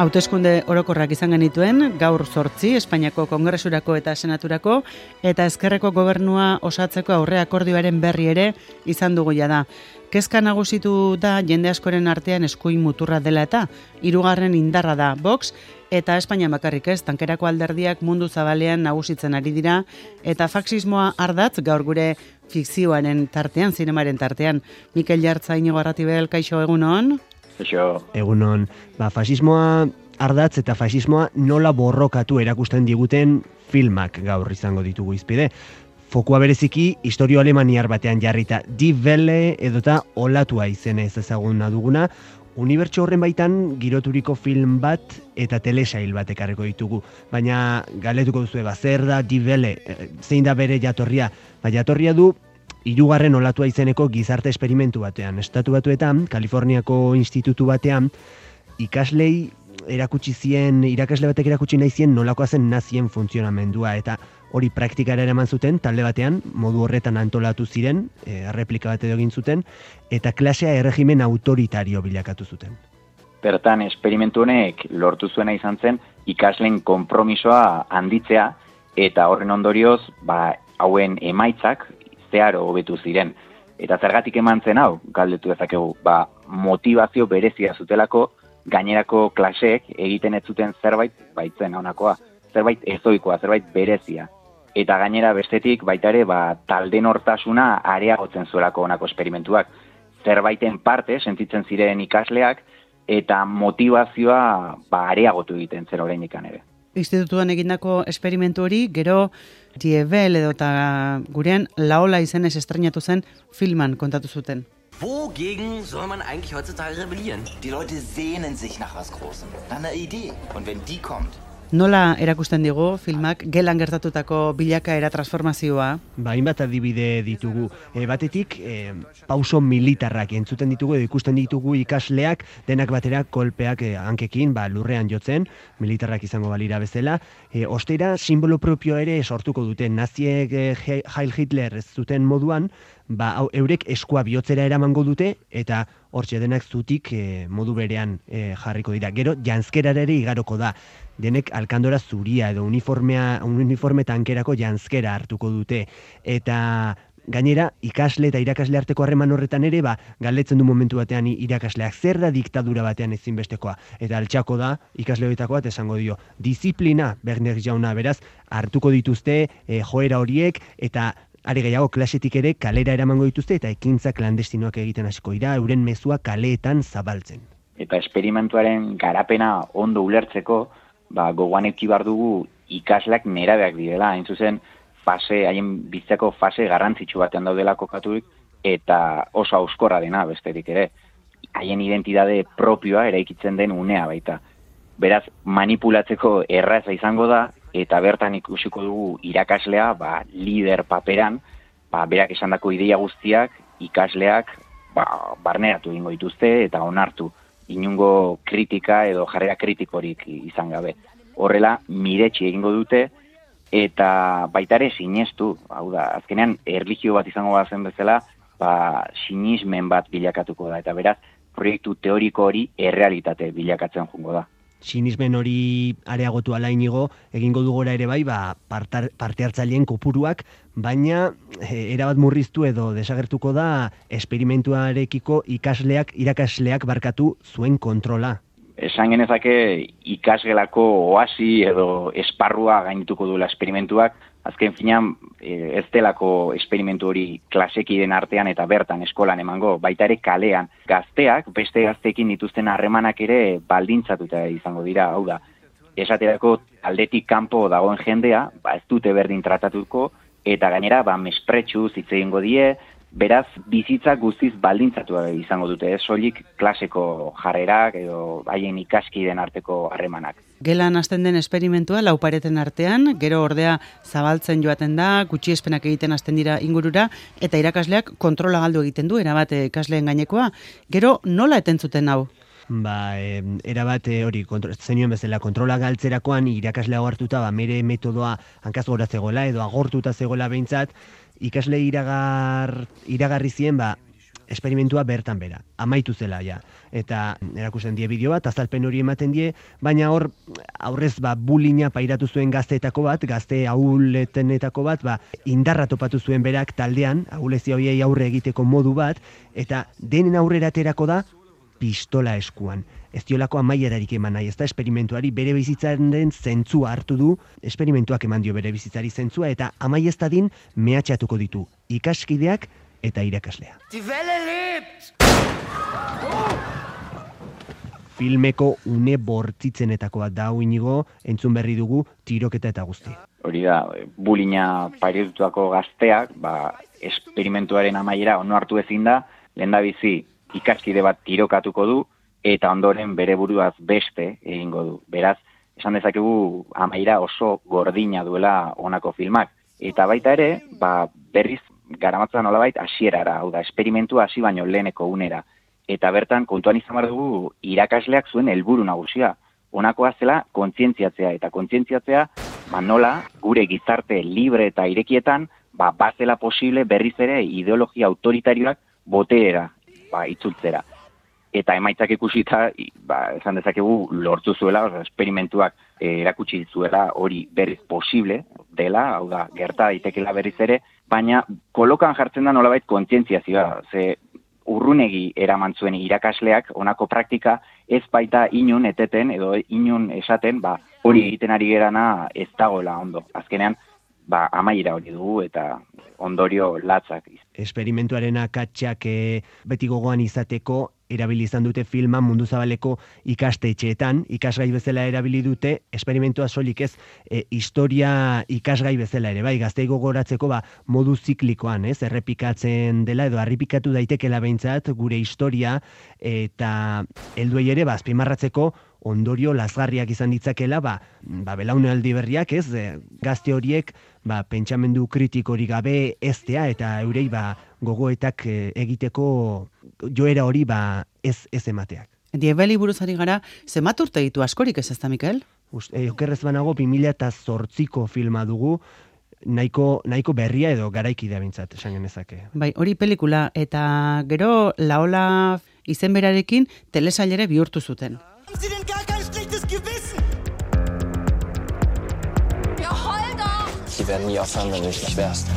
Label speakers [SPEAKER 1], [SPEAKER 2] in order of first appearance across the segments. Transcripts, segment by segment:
[SPEAKER 1] Hauteskunde orokorrak izan genituen, gaur 8 Espainiako Kongresurako eta Senaturako, eta ezkerreko gobernua osatzeko aurre akordioaren berri ere izan dugu jada. Kezka nagusitu da jende askoren artean eskuin muturra dela eta hirugarren indarra da Vox, eta Espainian bakarrik ez, tankerako alderdiak mundu zabalean nagusitzen ari dira, eta faxismoa ardatz gaur gure fikzioaren tartean, zinemaren tartean. Mikel Jartza, Iñigo Arratibel, kaixo, egunon?
[SPEAKER 2] Egunon, fasismoa ardatz eta fasismoa nola borrokatu erakusten diguten filmak gaur izango ditugu izpide. Fokua bereziki historio alemaniar batean jarrita, Die Welle edota olatua izenez ezaguna duguna, unibertso horren baitan giroturiko film bat eta telesail bat ekarriko ditugu. Baina galetuko duzu zer da Die Welle, zein da bere jatorria? Jatorria du hirugarren olatua izeneko gizarte esperimentu batean. Estatu Batuetan, Kaliforniako institutu batean, ikaslei irakasle batek erakutsi nahi zien nolakoa zen nazien funtzionamendua, eta hori praktikara eraman zuten, talde batean, modu horretan antolatu ziren, erreplika bat edo egin zuten, eta klasea erregimen autoritario bilakatu zuten.
[SPEAKER 3] Bertan, esperimentu honek lortu zuena izan zen ikasleen konpromisoa handitzea, eta horren ondorioz, hauen emaitzak zeharo hobetu ziren. Eta zergatik eman zen hau, galdetu dezakegu, motivazio berezia zutelako, gainerako klaseek egiten ez zuten zerbait baitzen honakoa, zerbait ezoikoa, zerbait berezia. Eta gainera bestetik baita ere talde nortasuna areagotzen zuelako honako esperimentuak. Zerbaiten parte sentitzen ziren ikasleak eta motivazioa areagotu egiten zer oraindikan ere.
[SPEAKER 1] Institutuan egindako esperimentu hori, gero Die Welle edota gurean Laola izenez estreinatu zen filman kontatu zuten.
[SPEAKER 4] Wogegen soll man eigentlich heutzutage rebellieren?
[SPEAKER 5] Die Leute sehnen sich nach was Großem, nach einer Idee. Und wenn die kommt...
[SPEAKER 1] Nola erakusten digu filmak gelan gertatutako bilakaera transformazioa?
[SPEAKER 2] Hainbat adibide ditugu. Batetik, pauso militarrak entzuten ditugu edo ikusten ditugu ikasleak denak batera kolpeak hankekin lurrean jotzen, militarrak izango balira bezala. Ostera, simbolo propio ere sortuko dute. Naziek Heil Hitler ez zuten moduan, eurek eskua bihotzera eramango dute, eta hortxe denak zutik modu berean jarriko dira. Gero, janzkerara ere igaroko da. Denek alkandora zuria edo uniforme tankerako janzkera hartuko dute. Eta gainera, ikasle eta irakasle arteko harreman horretan ere, galdetzen du momentu batean irakasleak zer da diktadura batean ezinbestekoa. Eta altxako da, ikasle horietako bat esango dio, disiplina, Berner jauna, beraz, hartuko dituzte joera horiek, eta are gehiago klasetik ere kalera eramango dituzte, eta ekintza klandestinoak egiten hasiko dira, euren mezua kaleetan zabaltzen.
[SPEAKER 3] Eta esperimentuaren garapena ondo ulertzeko, gogoan eduki behar dugu ikasleak nerabeak direla, hain zuzen haien bizitzako fase garrantzitsu batean daudela kokaturik, eta oso hauskorra dena besterik ere. Haien identitate propioa eraikitzen den unea baita. Beraz, manipulatzeko erraza izango da, eta bertan ikusiko dugu irakaslea, lider paperan, berak esandako ideia guztiak, ikasleak, barneratu egingo dituzte eta onartu. Inungo kritika edo jarrera kritikorik izan gabe. Horrela, miretsi egingo dute, eta baita ere sinestu, hau da, azkenean erlijio bat izango bazen bezala, sinismen bat bilakatuko da, eta beraz, proiektu teoriko hori errealitate bilakatzen joango da.
[SPEAKER 2] Sinismen hori areagotu ala Inigo, egingo du gora ere parte hartzaileen kopuruak, baina erabat murriztu edo desagertuko da esperimentuarekiko irakasleak barkatu zuen kontrola.
[SPEAKER 3] Esan genezake ikasgelako oasi edo esparrua gainituko duela esperimentuak, azken finean ez delako esperimentu hori klasekiden artean eta bertan eskolan emango, baita ere kalean. Gazteak, beste gazteekin dituzten harremanak ere baldintzatuta izango dira, hau da. Esaterako aldetik kanpo dagoen jendea, ez dute berdin tratatuko, eta gainera mespretxu hitz egingo die, beraz bizitza guztiz baldintzatu izango dute, ez soilik klaseko jarrerak edo haien ikaskideen arteko harremanak.
[SPEAKER 1] Gelan hasten den esperimentua laupareten artean, gero ordea zabaltzen joaten da, gutxiespenak egiten hasten dira ingurura, eta irakasleak kontrola galdu egiten du, erabat ikasleen gainekoa. Gero nola etentzuten hau?
[SPEAKER 2] Erabat hori, zenioen bezala, kontrola galtzerakoan irakaslea hartuta, mere metodoa hankaz gora zegoela edo agortuta zegoela behintzat, ikasle iragarri zien, esperimentua bertan bera, amaitu zela ja. Eta erakusten die bideo bat, azalpen hori ematen die, baina hor aurrez bullyinga pairatu zuen gazteetako bat, gazte ahuletenetako bat, indarra topatu zuen berak taldean, ahulezia horiei aurre egiteko modu bat, eta denen aurrera aterako da pistola eskuan. Ez diolako amaierarik eman nahi, ez da esperimentuari bere bizitzaren zentzua hartu du, esperimentuak eman dio bere bizitzari zentzua, eta amai ez dadin mehatxatuko ditu ikaskideak eta irakaslea.
[SPEAKER 4] Die Welle lebt!
[SPEAKER 2] Filmeko une bortzitzenetako bat da, Inigo, entzun berri dugu tiroketa eta guzti.
[SPEAKER 3] Hori da, bullyinga pairitutako gazteak, esperimentuaren amaiera ono hartu ezin da, lehendabizi ikaskide bat tirokatuko du, eta ondoren bere buruaz beste egingo du. Beraz, esan dezakegu amaiera oso gordina duela honako filmak. Eta baita ere, berriz garamatzan nolabait hasierara, hau da, esperimentua hasi baino leheneko unera. Eta bertan, kontuan izan behar dugu, irakasleak zuen helburu nagusia. Honakoa zela kontzientziatzea, eta kontzientziatzea nola gure gizarte libre eta irekietan bazela posible berriz ere ideologia autoritarioak boteera itzultzera. Eta emaitzak ikusita, esan dezakegu lortu zuela, esperimentuak erakutsi zuela hori berriz posible dela, hau da, gerta daitekela berriz ere, baina kolokan jartzen da nolabait kontzientziazioa, ze urrunegi eraman zuen irakasleak honako praktika ez baita inun eteten edo inun esaten, hori egiten ari gerana ez dagoela ondo. Azkenean, amaiera hori dugu eta ondorio latzak.
[SPEAKER 2] Esperimentuaren akatsak beti gogoan izateko erabili izan dute filma mundu zabaleko ikastetxeetan, ikasgai bezala erabili dute, esperimentua soilik ez, historia ikasgai bezala ere, gaztei gogoratzeko modu ziklikoan, errepikatzen dela edo harripikatu daitekela behintzat gure historia, eta helduei ere azpimarratzeko ondorio lazgarriak izan ditzakela, belaunaldi berriak, gazte horiek pentsamendu kritikorik gabe eztea eta eurei gogoetak egiteko joera hori ez emateak.
[SPEAKER 1] Diebeli buruzari gara, zenbat urte ditu askorik ez da, Mikel?
[SPEAKER 2] Okerrez banago 2008ko filma dugu, nahiko berria edo garaikidea bintzat, esan genezake.
[SPEAKER 1] Hori pelikula, eta gero Laola izen berarekin telesailere bihurtu zuten.
[SPEAKER 6] Haben Sie denn gar kein schlechtes Gewissen?
[SPEAKER 7] Ja, heul doch!
[SPEAKER 5] Die werden nie aufhören, wenn du dich nicht wehrst.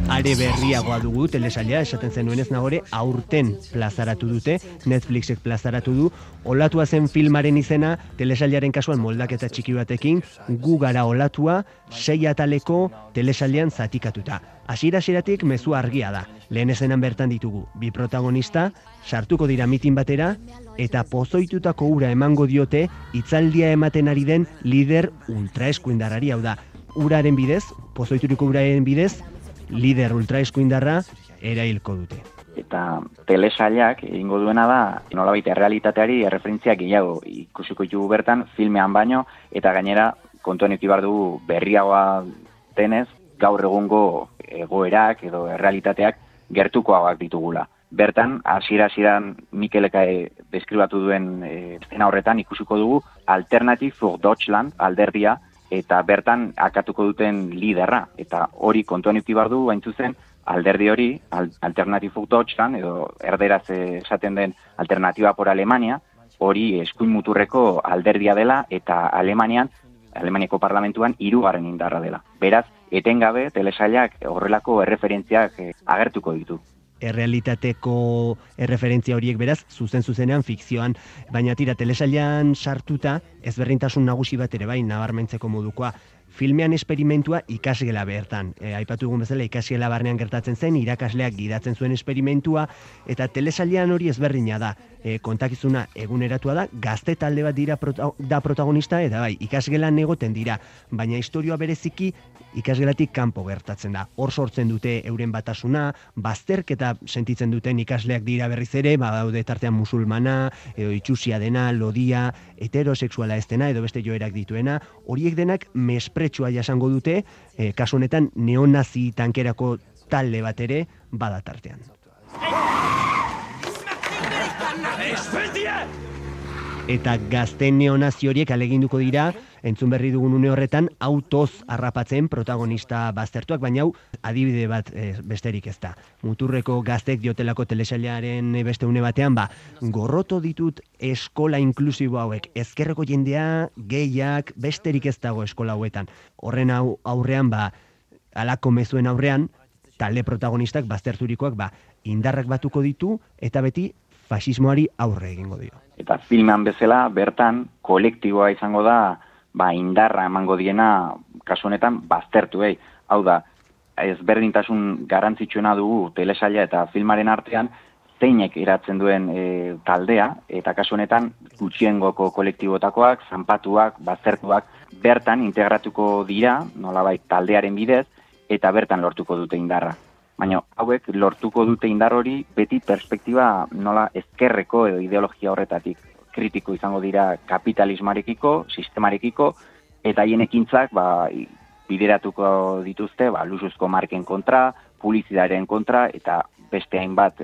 [SPEAKER 2] Are berriagoa dugu telesaila, esaten zenuen ez nagore, aurten plazaratu dute, Netflixek plazaratu du, olatua zen filmaren izena, telesailaren kasuan moldaketa txiki batekin, gu gara olatua, 6 ataleko telesailean zatikatuta. Hasiera-hasieratik mezu argia da. Lehen ezenan bertan ditugu, 2 protagonista, sartuko dira mitin batera, eta pozoitutako ura emango diote, hitzaldia ematen ari den lider ultraeskuindarrari, hau da, uraren bidez, pozoituriko uraren bidez, lider ultraeskuindarra erailko dute.
[SPEAKER 3] Eta telesailak egingo duena da, nolabait errealitateari erreferentzia gehiago ikusiko ditugu bertan, filmean baino, eta gainera kontuan eduki behar dugu berriagoa denez, gaur egungo egoerak edo errealitateak gertukoagoak ditugula. Bertan, hasiera-hasieran Mikelek deskribatu duen eszena horretan ikusiko dugu Alternative for Deutschland alderdia, eta bertan akatuko duten liderra. Eta hori kontuan eduki behar du, hain zuzen, alderdi hori, Alternative for Deutschland, edo erderaz esaten den Alternativa por Alemania, hori eskuin muturreko alderdia dela, eta Alemaniako parlamentuan 3. indarra dela. Beraz, etengabe telesailak horrelako erreferentziak agertuko ditu.
[SPEAKER 2] Errealitateko erreferentzia horiek beraz, zuzenean fikzioan, baina tira telesailean sartuta ezberdintasun nagusi bat ere nabarmentzeko modukoa. Filmean esperimentua ikasgela bertan. Aipatu dugun bezala ikasgela barnean gertatzen zen, irakasleak gidatzen zuen esperimentua, eta telesailean hori ezberdina da. Kontakizuna eguneratua da, gazte talde bat da protagonista, eta ikasgelan egoten dira, baina historioa bereziki ikasgelatik kanpo gertatzen da. Hor sortzen dute euren batasuna, bazterketa sentitzen duten ikasleak dira berriz ere, daude tartean musulmana, edo itxusia dena, lodia, heterosexuala ez dena, edo beste joerak dituena, horiek denak mespretsua jasango dute, kasu honetan neonazi tankerako talde bat ere bada tartean. eta gazte neonazi horiek aleginduko dira, entzun berri dugun une horretan, autoz harrapatzen protagonista baztertuak, baina hau adibide bat besterik ez da. Muturreko gaztek diotelako telesailaren beste une batean, gorroto ditut eskola inklusibo hauek, ezkerreko jendea, gehiak, besterik ez dago eskola hauetan. Horren aurrean, alako mezuen aurrean, talde protagonistak bazterturikoak, indarrak batuko ditu, eta beti fasismoari aurre egingo dio.
[SPEAKER 3] Eta filmean bezala, bertan, kolektiboa izango da, indarra emango diena, kasu honetan, baztertuei. Hau da, ezberdintasun garrantzitsuena dugu telesaila eta filmaren artean, zeinek eratzen duen taldea, eta kasu honetan, gutxiengoko kolektibotakoak, zanpatuak, baztertuak, bertan integratuko dira, nolabait taldearen bidez, eta bertan lortuko dute indarra. Baina hauek lortuko dute indar hori beti perspektiba nola ezkerreko edo ideologia horretatik. Kritiko izango dira kapitalismarekiko, sistemarekiko, eta haien ekintzak bideratuko dituzte luxuzko marken kontra, publizitatearen kontra, eta beste hainbat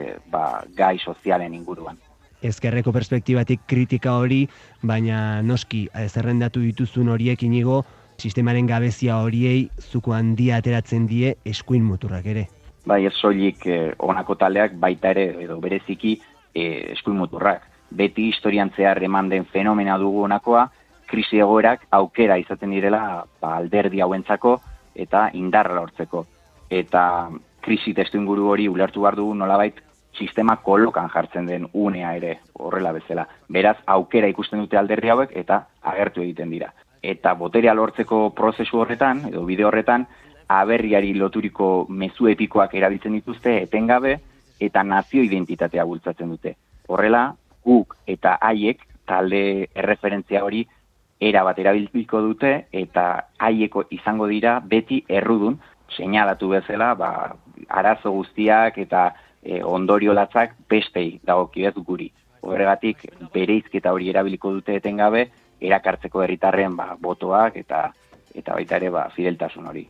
[SPEAKER 3] gai sozialen inguruan.
[SPEAKER 2] Ezkerreko perspektibatik kritika hori, baina noski zerrendatu dituzun horiek inigo, sistemaren gabezia horiei zuko handia ateratzen die eskuin muturrak ere.
[SPEAKER 3] Bai, ez soilik honako taldeak baita ere edo bereziki eskuin muturrak. Beti historian zehar eman den fenomena dugu honakoa, krisi egoerak aukera izaten direla alderdi hauentzako eta indarra lortzeko. Eta krisi testuinguru hori ulertu behar dugu nolabait sistema kolokan jartzen den unea ere horrela bezala. Beraz, aukera ikusten dute alderdi hauek eta agertu egiten dira. Eta boterea lortzeko prozesu horretan, edo bide horretan, aberriari loturiko mezu epikoak erabiltzen dituzte etengabe eta nazio identitatea bultzatzen dute. Horrela, guk eta haiek talde erreferentzia hori erabat erabiltziko dute eta haieko izango dira beti errudun, seinalatu bezala, arazo guztiak eta ondorio latzak bestei dagokidez guri. Horregatik bereizketa hori erabiliko dute etengabe, erakartzeko herritarren botoak eta baita ere fideltasun hori.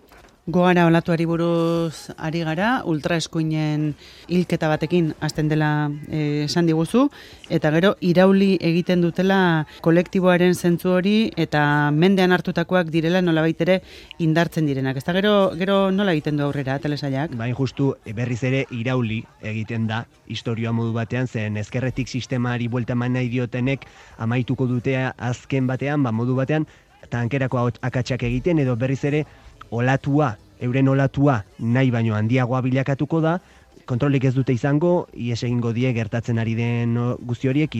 [SPEAKER 1] Gogara olatuari buruz ari gara, ultraeskuinen hilketa batekin hasten dela esan diguzu, eta gero irauli egiten dutela kolektiboaren zentzu hori eta mendean hartutakoak direla nolabait ere indartzen direnak. Ez da gero nola egiten du aurrera telesailak?
[SPEAKER 2] Bain justu berriz ere irauli egiten da historia modu batean, zen ezkerretik sistemari buelta eman nahi diotenek amaituko dutea azken batean, modu batean, tankerako akatsak egiten edo berriz ere euren olatua nahi baino handiagoa bilakatuko da, kontrolik ez dute izango, ies egingo die gertatzen ari den guzti horiek,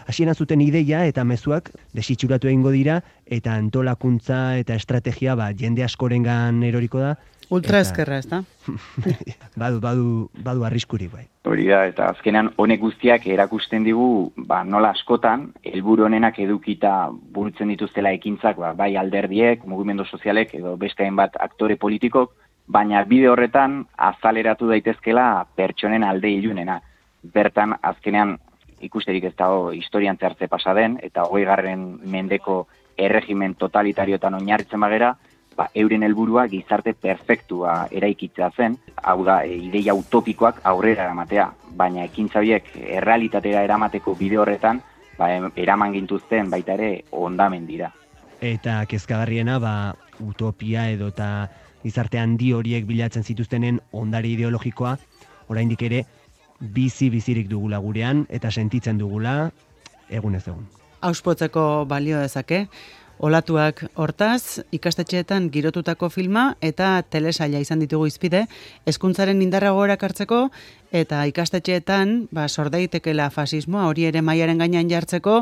[SPEAKER 2] hasieran zuten ideia eta mezuak desitxuratu egingo dira, eta antolakuntza eta estrategia jende askorengan eroriko da.
[SPEAKER 1] Ultra ezkerra, ez da?
[SPEAKER 2] Badu arriskuri bai.
[SPEAKER 3] Hori da, eta azkenean honek guztiak erakusten digu, nola askotan, helburu honenak edukita burutzen dituztela ekintzak, bai alderdiek, mugimendu sozialek, edo beste hainbat aktore politikok, baina bide horretan azaleratu daitezkela pertsonen alde ilunena. Bertan, azkenean, ikusterik ez dago historian zehar pasa den, eta 20. mendeko erregimen totalitarioetan oinarritzen bagera, euren helburua gizarte perfektua eraikitzea zen, hau da, ideia utopikoak aurrera eramatea, baina ekintza horiek errealitatera eramateko bide horretan, eraman gintuzten baita ere hondamen dira.
[SPEAKER 2] Eta kezkagarriena, utopia edo eta gizarte handi horiek bilatzen zituztenen ondare ideologikoa, oraindik ere bizirik dugula gurean, eta sentitzen dugula egunez egun.
[SPEAKER 1] Auspotzeko balio dezake, olatuak hortaz, ikastetxeetan girotutako filma eta telesaila izan ditugu izpide, hezkuntzaren indarra gogorak hartzeko eta ikastetxeetan sordaitekela fasismoa hori ere mailaren gainean jartzeko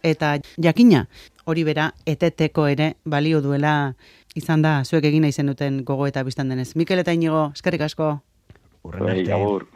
[SPEAKER 1] eta jakina hori bera eteteko ere balio duela izan da zuek egin nahi zenuten gogo eta biztan denez. Mikel eta Inigo, eskerrik asko.
[SPEAKER 2] Urren arte.